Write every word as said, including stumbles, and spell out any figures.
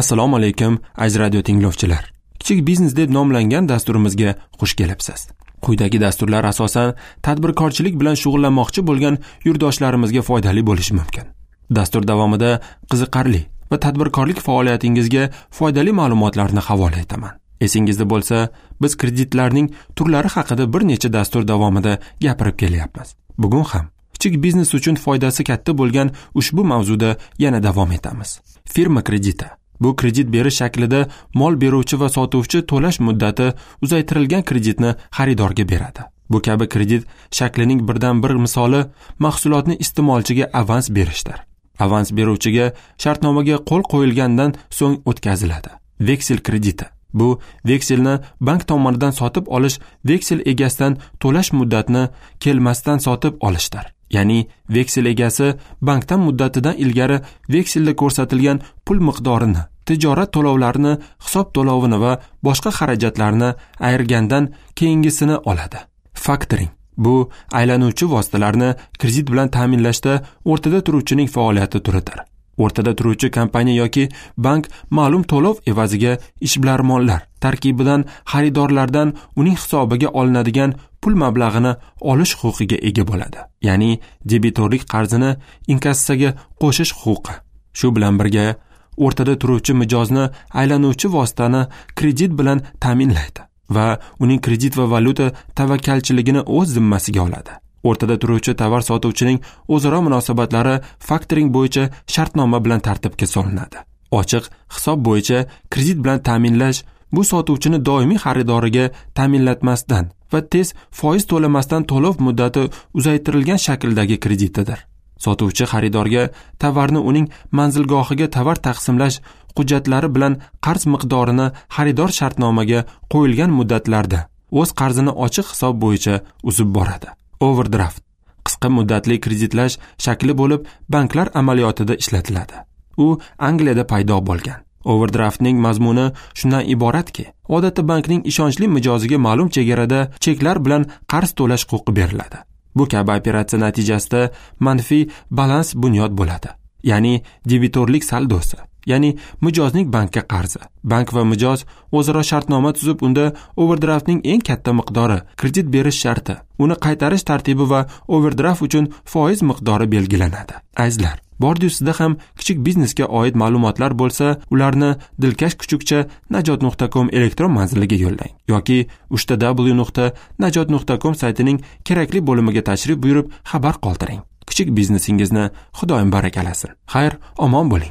Assalomu alaykum aziz radio tinglovchilar. Kichik biznes deb nomlangan dasturimizga xush kelibsiz. Quyidagi dasturlar asosan tadbirkorchilik bilan shug'ullanmoqchi bo'lgan yurtdoshlarimizga foydali bo'lishi mumkin. Dastur davomida qiziqarli va tadbirkorlik faoliyatingizga foydali ma'lumotlarni havola etaman. Esingizda bo'lsa, biz kreditlarning turlari haqida bir necha dastur davomida gapirib kelyapmiz. Bugun ham kichik biznes uchun foydasi katta bo'lgan ushbu mavzuda yana davom etamiz. Firma krediti. Bu kredit berish shaklida mol beruvchi va sotuvchi to'lash muddati uzaytirilgan kreditni xaridorga beradi. Bu kabi kredit shaklining birdan bir misoli mahsulotni iste'molchiga avans berishdir. Avans beruvchiga shartnomaga qo'l qo'yilgandan so'ng o'tkaziladi. Veksel krediti. Bu vekselni bank tomonidan sotib olish, veksel egasidan to'lash muddatini kelmasdan sotib olishdir. Ya'ni veksel egasi bankdan muddatidan ilgari vekselda ko'rsatilgan pul miqdorini, tijorat to'lovlarini, hisob to'lovini va boshqa xarajatlarni ayirgandan keyingisini oladi. Faktoring. Bu aylanuvchi vositalarni kredit bilan ta'minlashda o'rtada turuvchining faoliyati turidir. O'rtada turuvchi kompaniya yoki bank ma'lum to'lov evaziga ishbilarmonlar tarkibidan xaridorlardan uning hisobiga olinadigan pul mablag'ini olish huquqiga ega bo'ladi. Ya'ni debitorlik qarzini inkassaga qo'shish huquqi. Shu bilan birga o'rtada turuvchi mijozni aylanuvchi vositani kredit bilan ta'minlaydi va uning kredit va valyuta tavakkalchiligini o'z zimmasiga oladi. O'rtada turuvchi tovar sotuvchining o'zaro munosabatlari faktoring bo'yicha shartnoma bilan tartibga solinadi. Ochiq hisob bo'yicha kredit bilan ta'minlash bu sotuvchini doimiy xaridoriga ta'minlatmasdan va tez foiz to'lamasdan to'lov muddati uzaytirilgan shakldagi kreditidir. Sotuvchi xaridorga tovarni uning manzilgohiga tovar taqsimlash hujjatlari bilan qarz miqdorini xaridor shartnomaga qo'yilgan muddatlarda o'z qarzini ochiq hisob bo'yicha uzib boradi. Overdraft qisqa muddatli kreditlash shakli bo'lib, banklar amaliyotida ishlatiladi. U Angliyada paydo bo'lgan. Overdraftning mazmuni shundan iboratki, odatda bankning ishonchli mijoziga ma'lum chegarada cheklar bilan qarz to'lash huquqi beriladi. Bu kabi operatsiya natijasida manfiy balans bunyod bo'ladi. Ya'ni debitorlik saldosi, ya'ni mijozning bankka qarzi. Bank va mijoz o'zaro shartnoma tuzib, unda overdraftning eng katta miqdori, kredit berish sharti, uni qaytarish tartibi va overdraft uchun foiz miqdori belgilanadi. Azizlar, bordi ustida ham kichik biznesga oid ma'lumotlar bo'lsa, ularni dilkash kuchukcha najot nuqta com elektron manziliga yo'llang yoki uchta w nuqta najot nuqta com saytining kerakli bo'limiga tashrif buyurib xabar qoldiring. Kichik biznesingizni Xudoyim barakalasin. Xayr, omon bo'ling.